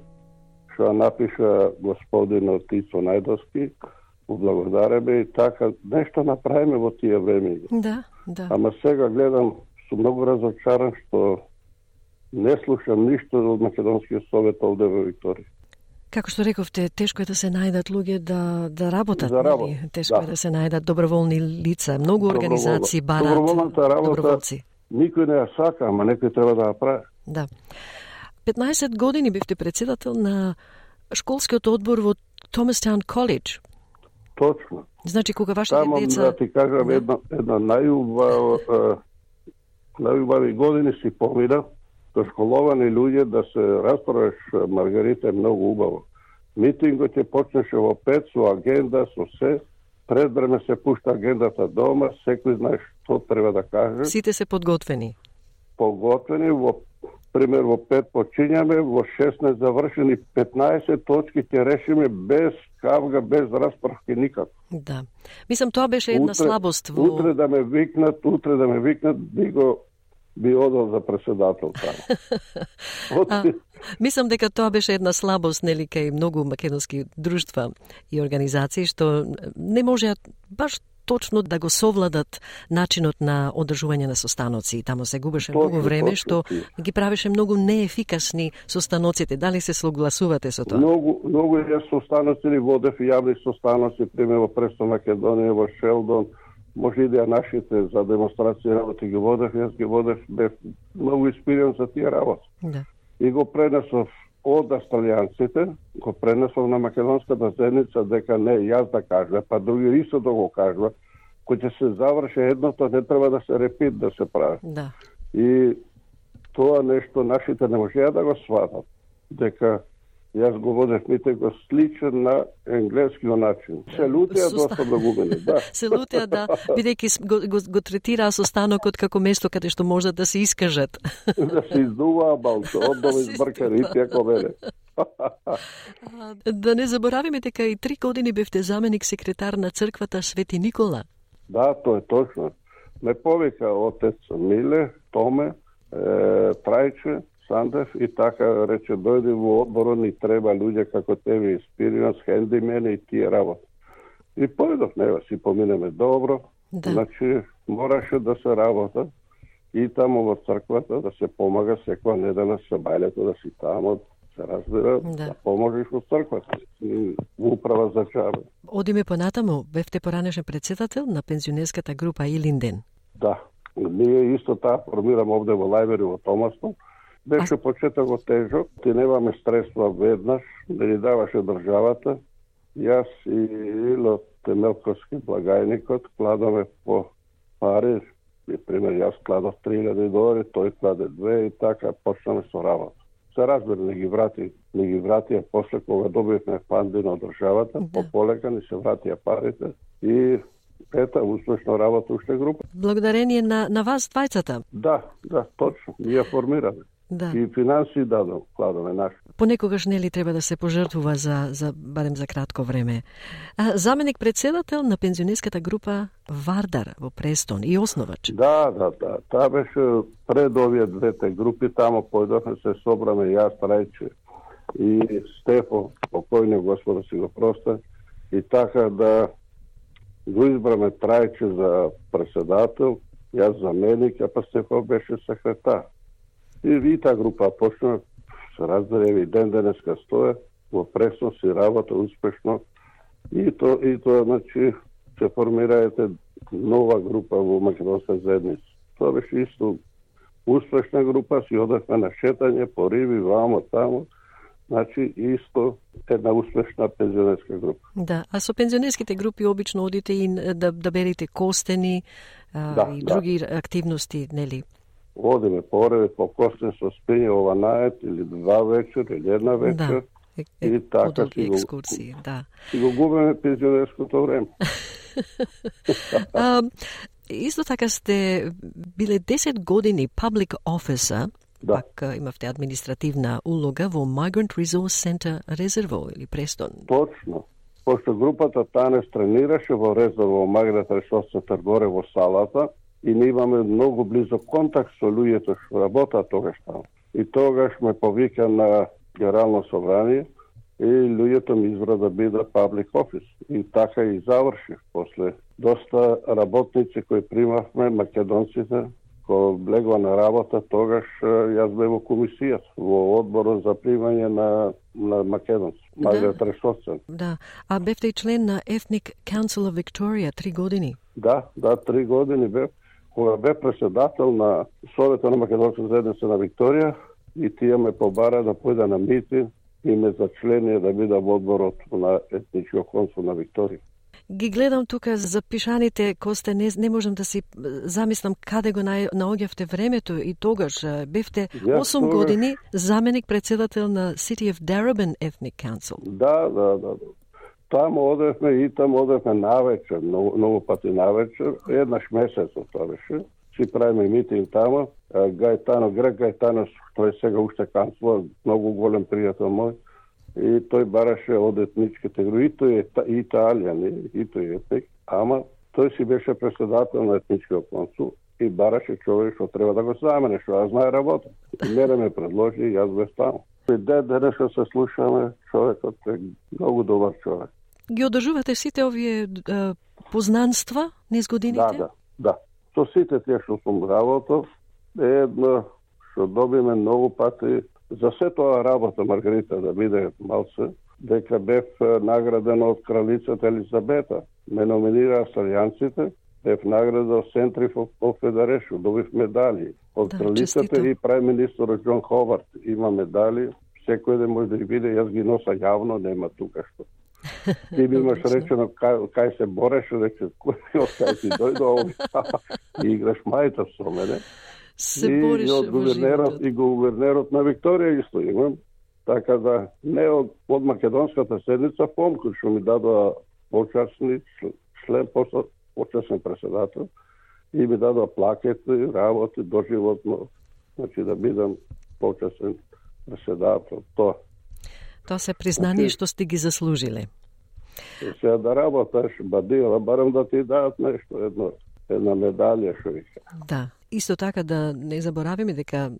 што напиша господин Тицо Најдовски. Благодареме и така нешто направиме во тие време. Да, да. Ама сега гледам, сум многу разочаран што не слушам ништо од Македонскиот совет овде во Викторија. Како што рековте, тешко е да се најдат луѓе да да работат, да работат. Нали? Тешко да. е да се најдат доброволни лица. Многу организации барат доброволната работа. Доброволци. Никој не ја сака, ама некој треба да ја прави. Да. петнаесет години бевте председател на школскиот одбор во Томастаун Коледж. Точно. Значи, кога вашите Таму, деца... да ти кажам, да. една, една најубава, најубави години си помина, со школовани луѓе да се расправиш, Маргарита, е многу убаво. Митингот ќе почнеше во пет со агенда, со се, пред време се пушта агендата дома, секој знае што треба да каже. Сите се подготвени. Подготвени, во пример во пет почињаме, во шеснаесет завршени, петнаесет точки ќе решиме без кавга, без расправки никако. Да. Мислам, тоа беше една утре, слабост во... Утре да ме викнат, утре да ме викнат, би го би одел за председател таму. а, мислам дека тоа беше една слабост, нели, кај многу македонски друштва и организации, што не можеа баш точно да го совладат начинот на одржување на состаноци. Таму се губеше точно, многу време, што ги правеше многу неефикасни состаноците. Дали се согласувате со тоа? Многу, многу е состаноци ни водев јавни состаноци, пример во Престо Македонија, во Шелдон, може и да нашите за демонстрација работи ги водев, јас ги водев, бев многу инспириран за тие работи. Да. И го пренесов од австралијанците, го пренесов на македонската заедница дека не јас да кажа, па други исто да го кажа, кој ќе се заврши едното, не треба да се репит да се прави. Да. И тоа нешто нашите не можеа да го сватат, дека јас го водев митинг сличен на енглескиот начин. Се лутеа доста многумени, да. Се лутеа, да, бидејќи го, го, го третираа состанокот како место каде што можат да се искажат. Да се издуваа балто, оддома избркари, како мене. Да не заборавиме дека и три години бевте заменик секретар на црквата Свети Никола. Да, тоа е точно. Ме повика отец Миле, Томе, е, Трајче, Сандев и така рече, дојди во одборот, ни треба луѓе како тебе, инспириран, с хендимени и тие работи. И појдов, нева си поминеме добро, да. Значи мораше да се работа и таму во црквата да се помага секоја недела се бајлето да си таму, се разбира, да, да поможеш во црквата, во управа за чаба. Одиме понатаму, бевте поранешен председател на пензионерската група Илинден. Да, ние исто таа формираме овде во Лајбери во Томастон. Беше почетокот тежок, ти немаме средства веднаш, да ни даваше државата. Јас и Ило Темелковски благајникот кладаме по пари, пример јас кладов три илјади долари, тој кладе две и така почнаме со работа. Се разбира, не ги врати, не ги вратија после кога добивме фанди на државата, да. По полека ни се вратија парите и ета успешно работа уште група. Благодарение на на вас двајцата. Да, да, точно. Ние формираме. Да. И финанси дадам, кладаме наши. Понекогаш нели треба да се пожртвува за за барем за кратко време. А, заменик председател на пензионерската група Вардар во Престон и основач. Да, да, да. Таа беше пред овие двете групи, тамо појдовме се собраме јас, Трајче и Стефо, покојни Господа си го проста, и така да го избраме Трајче за председател, Јас заменик, а па Стефан беше секретар. И ви таа група почна, се разбереви ден денеска стоја, во пресно си работа успешно. И то, и тоа, значи, се формираете нова група во македонска заедница. Тоа беше исто успешна група, си одевме на шетање по риби, вамо, тамо. Значи, исто една успешна пензионерска група. Да, а со пензионерските групи обично одите и да, да берете костени а, да, и да. други активности, нели? Одиме пореде по костен со спиње ова или два вечер, или една вечер. Да, е, и така си го, екскурсии, да. Си го губиме пензионерското време. а, исто така сте биле десет години public officer, да. Пак имавте административна улога во Migrant Resource Center Резерво или Престон. Точно. Пошто групата Танес тренираше во Резерво Migrant Resource Center горе во салата и ние имаме многу близо контакт со луѓето што работат тогаш таму. И тогаш ме повика на Генерално собрание и луѓето ми избра да биде public office. И така и завршив. После доста работници кои примавме, македонците, кога влегла на работа, тогаш јас бев во комисијата, во одборот за примање на, на македонци, Migrant Resource Center. Да, а бевте и член на Ethnic Council of Victoria три години. Да, да, три години бев. Кога бев председател на Совета на македонска заедница на Викторија, и тие ме побара да појда на митинг и ме зачленија да бидам одборот на етничкиот консул на Викторија. Ги гледам тука запишаните, Косте, не, не можам да си замислам каде го наоѓавте времето и тогаш бевте осум yes, години заменик председател на City of Darebin Ethnic Council. Да, да, да. Таму одевме и таму одевме навечер, многу, многу пати навечер, еднаш месецот тоа беше. Си правиме митинг таму. Гајтано, Грег Гајтано, тој сега уште канцлер, многу голем пријател мој, и тој бараше од етничките групи, и тој е и италијан, и тој е етник, ама тој си беше председател на етничкиот консул и бараше човек што треба да го замене, што ја знае работа. И мене ме предложи и јас бев таму. И ден денеска се слушаме, човекот е многу добар човек. Ги одржувате сите овие е, познанства низ годините? Да, да, да. Со сите тие што сум работел, е едно што добиме многу пати. За се тоа работа, Маргарита, да биде малце, дека бев награден од кралицата Елизабета. Ме номинираа австралијанците, бев награден од Centre for Federation, добив медали. Од да, кралицата честито. И прави министерот Џон Ховард има медали. Секој ден може да ги биде, јас ги носа јавно, нема тука што. Ти ми имаш речено кај, кај се бореше, рече, кој кај си дојде овде и играш мајта со мене. Се и бореше од гувернерот и гувернерот на Викторија исто имам. Така да не од, од македонската седница ФОМ, кој што ми дадоа почасни член, почасен председател и ми дадоа плакети, работи доживотно, значи да бидам почасен председател. Тоа. Тоа се признание значи, што сте ги заслужиле. Сега да работаш, бадила, барам да ти дадат нешто, едно, една медалја, што вика. Да. Исто така да не заборавиме дека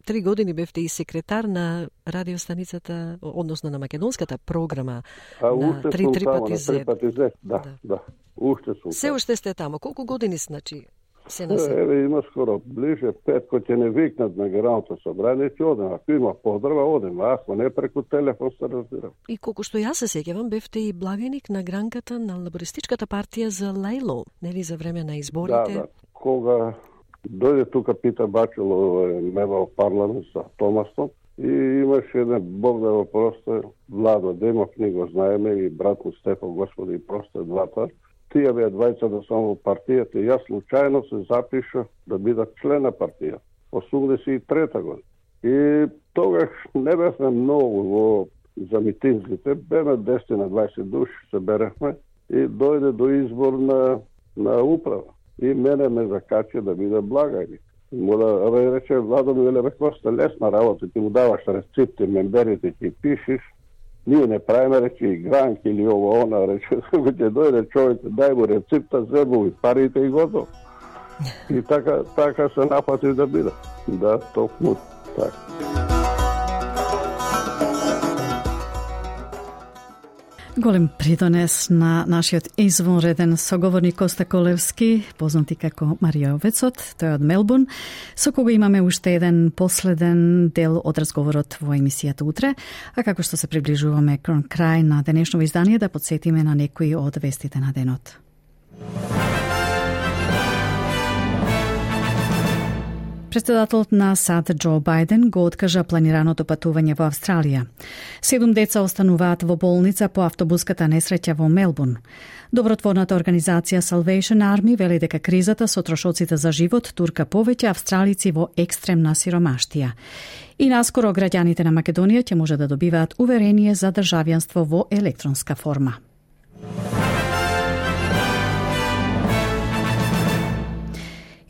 три години бевте и секретар на радиостаницата, односно на македонската програма а, на три три пати зет. Да, да, да. Уште сум. Се уште сте таму. Колку години значи се на се? Еве има скоро ближе пет, кој ќе не викнат на Генералното собрание, ќе одем. Ако има поздрава, одем. Ако не, преку телефон се разбирам. И колку што јас се сеќавам, бевте и благеник на гранката на лабористичката партија за Лейло, нели за време на изборите? Да, да. Кога дојде тука Питер Бачело, мевал парламент за Томастон, и имаше еден Бог да го просте, Владо Демов, ни го знаеме, и брат му Стефан, Господи, и просте двата. Тие беа двајца да само во партијата, и јас случајно се запишав да бидам член на партија, осумдесет и трета година. И тогаш не бевме многу во за митинзите, беме десет на двајсет души се берехме и дојде до избор на, на управа. И мене ме закачи да биде благајник. Му да рече, Владо ми веле, коста лесна работа, ти му даваш рецепти, мемберите ти пишеш, ние не правиме, рече, игранки или ово, она, рече, ќе дојде човек, дај му рецепта, зебу и парите и готово. И така, така се напати да биде. Да, токму така. Голем придонес на нашиот извонреден соговорник Коста Колевски, познати како Мариовецот, тој од Мелбурн, со кого имаме уште еден последен дел од разговорот во емисијата утре, а како што се приближуваме кон крај на денешното издание, да подсетиме на некои од вестите на денот. Председателот на САД Џо Бајден го откажа планираното патување во Австралија. Седум деца остануваат во болница по автобуската несреќа во Мелбурн. Добротворната организација Salvation Army вели дека кризата со трошоците за живот турка повеќе австралици во екстремна сиромаштија. И наскоро граѓаните на Македонија ќе може да добиваат уверение за државјанство во електронска форма.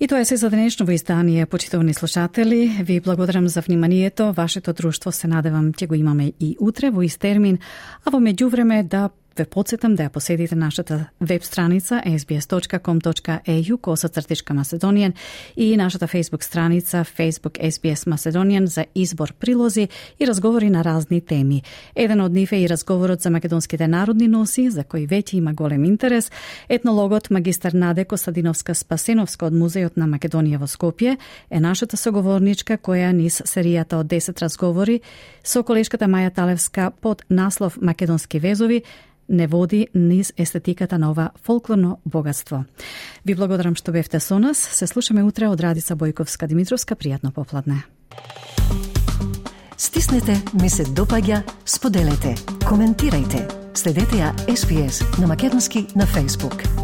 И тоа е се за денешно издание, почитувани слушатели. Ви благодарам за вниманието. Вашето друштво се надевам ќе го имаме и утре во ист термин, а во меѓувреме да ве подсетам да ја поседите нашата веб страница ес би ес точка ком точка е ю косацртичка Macedonian и нашата Facebook страница Facebook ес би ес Macedonian за избор прилози и разговори на разни теми. Еден од нив е и разговорот за македонските народни носи, за кој веќе има голем интерес. Етнологот магистар Наде Костадиновска-Спасеновска од Музејот на Македонија во Скопје е нашата соговорничка која низ серијата од десет разговори со колешката Маја Талевска под наслов Македонски везови не води низ естетиката на ова фолклорно богатство. Ви благодарам што бевте со нас. Се слушаме утре од Радица Бојковска-Димитровска. Пријатно попладне. Стиснете, ми се допаѓа, споделете, коментирајте. Следете ја ес би ес на македонски на Facebook.